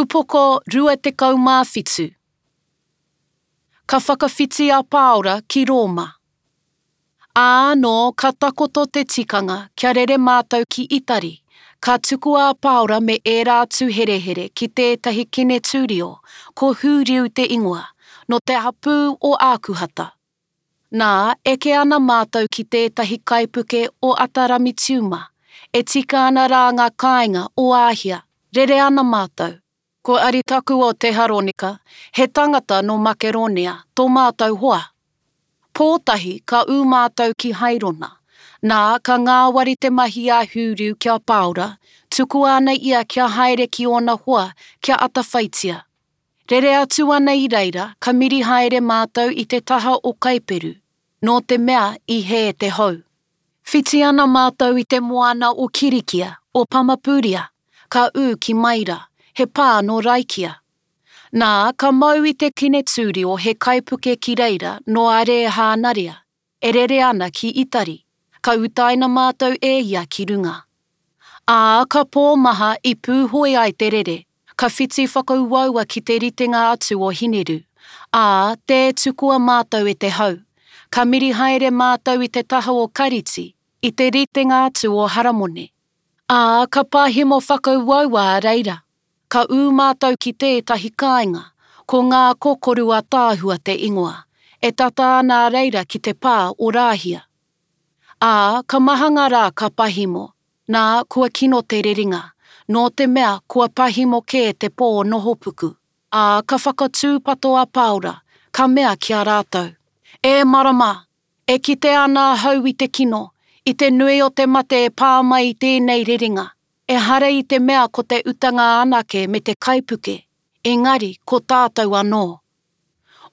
Upoko 27 Ka whakawhiti a Pāora ki Rōma. Ā, nō ka takoto te tikanga kia rere mātou ki Itari, ka tukua a Pāora me ērā atu herehere ki tētahi kenetūrio, ko Hūriu te ingoa, nō te hapū o Ākuhata. Nā, eke ana mātou ki tētahi kaipuke o Ataramitiuma, e tika ana rā ngā kāinga o Āhia, rere ana mātou. Ko Aritaku o Teharonika, he tangata nō Makeronia, tō mātou hoa. Pōtahi ka ū mātou ki Hairona. Nā, ka ngāwari te mahi a Hūriu ki a Pāora, tukua ana ia kia haere ki ōna hoa kia atawhaitia. Rere atu ana i reira, ka miri haere mātou i te taha o Kaiperu, nō te mea i hē te hou. Whiti ana mātou i te moana o Kirikia, o Pamapuria, ka ū ki Maira, he pā nō Raikia. Nā, ka mau i te Kinetūrio he kaipuke ki reira nō Arēhānaria, e rere ana ki Itari, ka utaina mātou e ia ki runga. Ā, ka pō maha i pūhoi ai te rere, ka whiti whakauaua ki te ritenga atu o Hineru, ā, tē tukua mātou e te hau. Ka miri haere mātou i te taha o Kariti, i te ritenga atu o Haramone. Ā, ka pahemo whakauaua a reira. Ka ū mātou ki tētahi kāinga, ko Ngā Kokoru Ataahua te ingoa, e tata ana a reira ki te pā o Rāhia. Ā, ka maha ngā rā ka pahimo, nā, kua kino te rerenga, nō te mea kua pahimo kē te pō nohopuku. Ā, ka whakatūpato a Pāora, ka mea ki a rātou, E marama! E kite ana ahau i te kino, i te nui o te mate e pā mai i tēnei rerenga. Ehara i te mea ko te utanga anake me te kaipuke, engari ko tātou anō.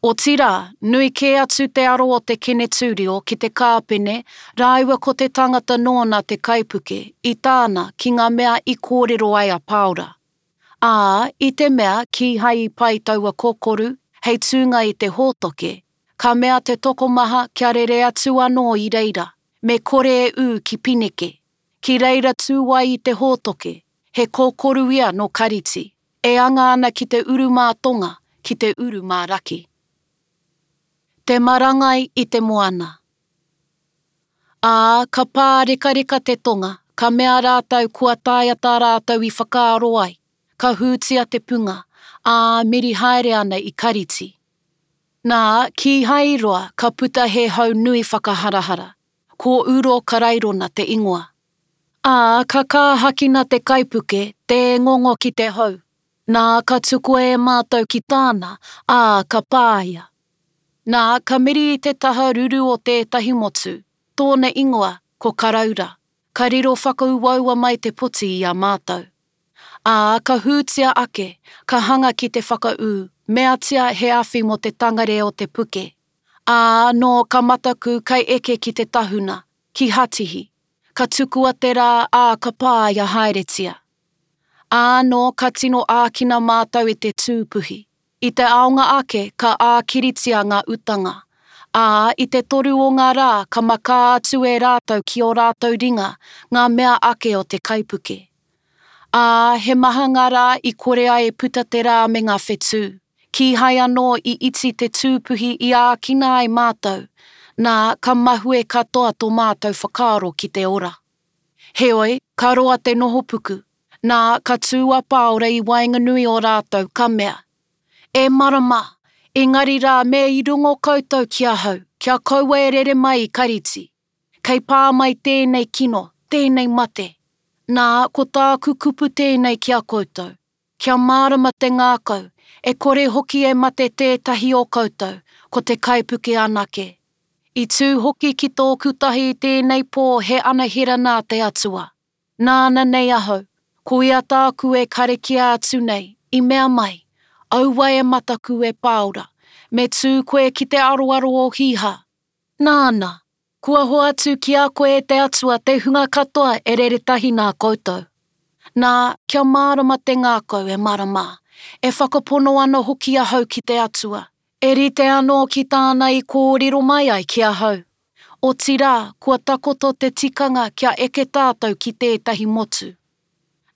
Otirā, nui kē atu te aro o te Kenetūrio ki te kāpene rāua ko te tangata nōna te kaipuke i tāna ki ngā mea i kōrero ai a Pāora. Ā, i te mea kīhai i pai taua kokoru hei tūnga i te hōtoke, ka mea te tokomaha kia rere atu anō i reira, me kore e ū ki Pineke. Ki reira tū ai i te hōtoke, he kokoru ia nō Kariti, e anga ana ki te uru mā tonga, ki te uru mā raki. Te marangai i te moana. Ā, ka pārekareka te tonga, ka mea rātou kua taea tā rātou i whakaaro ai, ka hūtia te punga, ā, miri haere ana i Kariti. Nā, kīhai i roa, ka puta he hau nui whakaharahara, Ko Uro Karairona te ingoa. Ā, ka kāhakina te kaipuke, tē ngongo ki te hau. Nā, ka tukua e mātou ki tāna, ā, ka pāia. Nā, ka miri i te taha ruru o tētahi motu, tōna ingoa ko Karaura, ka riro whakauaua mai te poti i a mātou. Ā, ka hūtia ake, ka hanga ki te whakaū, meatia he awhi mō te tangare o te puke. Ā, nō ka mataku kai eke ki te tahuna, ki Hatihi, ka tukua te rā, ā, ka pāia haeretia. Ā, nō ka tino ākina mātou e te tūpuhi. I te aonga ake ka ākiritia ngā utanga. Ā, i te toru o ngā rā ka makā atu e rātou ki ō rātou ringa ngā mea ake o te kaipuke. Ā, he maha ngā rā i kore ai e puta te rā me ngā whetū. Kīhai anō i iti te tūpuhi i ākina ai mātou, nā, ka mahue katoa tō mātou whakaaro ki te ora. Heoi, ka roa te nohopuku, nā, ka tū a Pāora i waenganui o rātou, ka mea, E marama, engari rā me i rongo koutou ki ahau, kia kaua e rere mai i Kariti. Kei pā mai tēnei kino, tēnei mate. Nā, ko tāku kupu tēnei ki a koutou, Kia mārama te ngākau, e kore hoki e mate tētahi o koutou, ko te kaipuke anake. I tū hoki ki tōku tahi i tēnei pō he anahera nā te Atua. Nāna nei ahau, ko ia tāku e karakia atu nei, i mea mai, Aua e mataku e Pāora, me tū koe ki te aroaro o Hīhā. Nāna, Kua hoatu ki a koe e te Atua te hunga katoa e rere tahi nā koutou. Nā, kia mārama te ngākau e marama, e whakapono ana hoki ahau ki te Atua, e rite anō ki tāna i kōrero mai ai ki ahau. Otirā, kua takoto te tikanga kia eke tātou ki tētahi motu.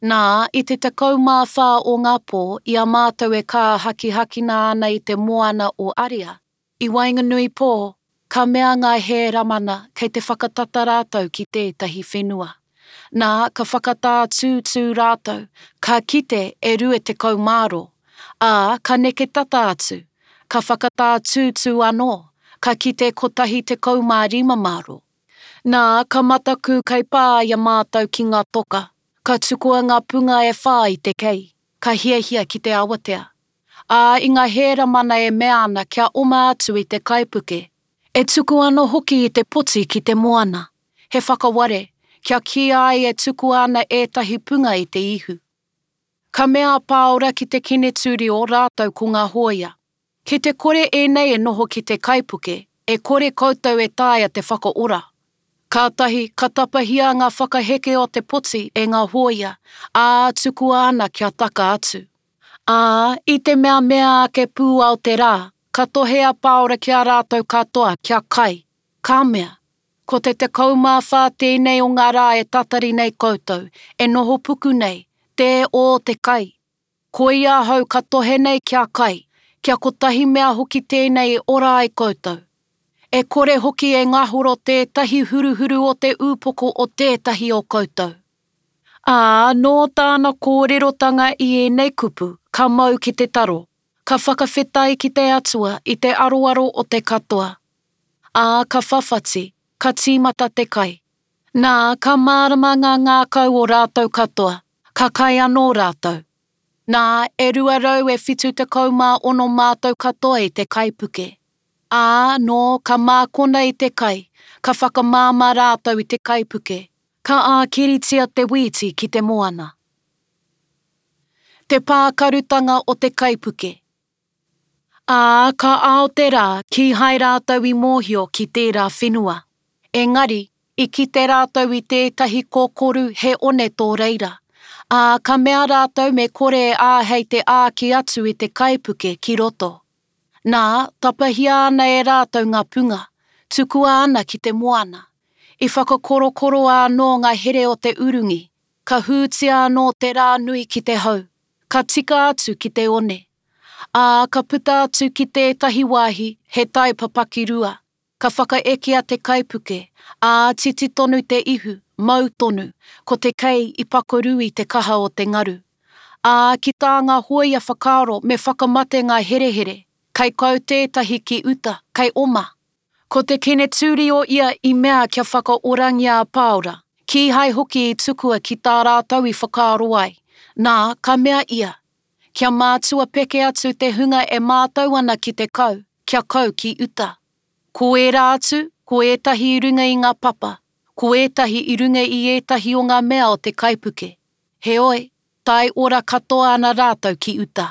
Nā, i te 14 o ngā pō, i a mātou e kāhakihakina ana i te moana o Aria, i waenganui pō, ka mea ngā hēramana kei te whakatata rātou ki tētahi whenua. Nā, ka whakatātūtū rātou, ka kite e 20 māro, ā, ka neke tata atu, ka whakatātūtū anō, ka kite kotahi 15 māro. Nā, ka mataku kei pā i a mātou ki ngā toka, ka tukua ngā punga e whā i te kei, ka hiahia ki te awatea. Ā, i ngā hēramana e mea ana kia oma atu i te kaipuke, e tuku ana hoki i te poti ki te moana, he whakaware, kia kīia ai e tukua ana ētahi punga i te ihu. Ka mea a Pāora ki te Kenetūrio rātou ko ngā hōia, Ki te kore ēnei e noho ki te kaipuke, e kore koutou e taea te whakaora. Kātahi, ka tapahia ngā whakaheke o te poti e ngā hōia, ā, tukua ana kia taka atu. Ā, i te mea mea ake pūao te rā, ka tohe a Pāora ki a rātou katoa kia kai, ka mea, Ko te 14 tēnei o ngā rā e tatari nei koutou, e noho puku nei, tē ō te kai. Koia ahau ka tohe nei kia kai, kia kotahi mea hoki tēnei e ora ai koutou. E kore hoki e ngahoro tētahi huruhuru o te upoko o tētahi o koutou. Ā, nō tāna kōrerotanga i ēnei kupu, ka mau ki te taro, ka whakawhetai ki te Atua i te aroaro o te katoa. Ā, ka whawhati, ka tīmata te kai. Nā, ka mārama ngā ngākau o rātou katoa, ka kai anō rātou. Nā, e 200 e 76 mātou katoa i te kaipuke. Ā, nō, ka mākona i te kai, ka whakamāmā rātou i te kaipuke, ka ākiritia te wīti ki te moana. Te pākarutanga o te kaipuke. Ā, ka ao te rā, kīhai rātou i mōhio ki tērā whenua. Engari, i kite rātou i tētahi kokoru he one tō reira. Ā, ka mea rātou me kore e āhei te āki atu i te kaipuke ki roto. Nā, tapahia ana e rātou ngā punga, tukua ana ki te moana. I whakakorokoroa anō ngā here o te urungi, ka hūtia anō te rā nui ki te hau, ka tika atu ki te one. Ā, ka puta atu ki tētahi wāhi, he tai papakirua, ka whakaekea te kaipuke, ā, titi tonu te ihu, mau tonu, ko te kei i pakoru i te kaha o te ngaru. Ā, ki tā ngā hōia whakaaro me whakamate ngā herehere, kei kau tētahi ki uta, kei oma. Ko te Kenetūrio ia i mea kia whakaorangia a Pāora, kīhai hoki i tukua ki tā rātou i whakaaro ai, nā, ka mea ia, Kia mātua peke atu te hunga e mātau ana ki te kau, kia kau ki uta. Ko ērā atu, ko ētahi i runga i ngā papa, ko ētahi i runga i ētahi o ngā mea o te kaipuke. Heoi, tae ora katoa ana rātou ki uta.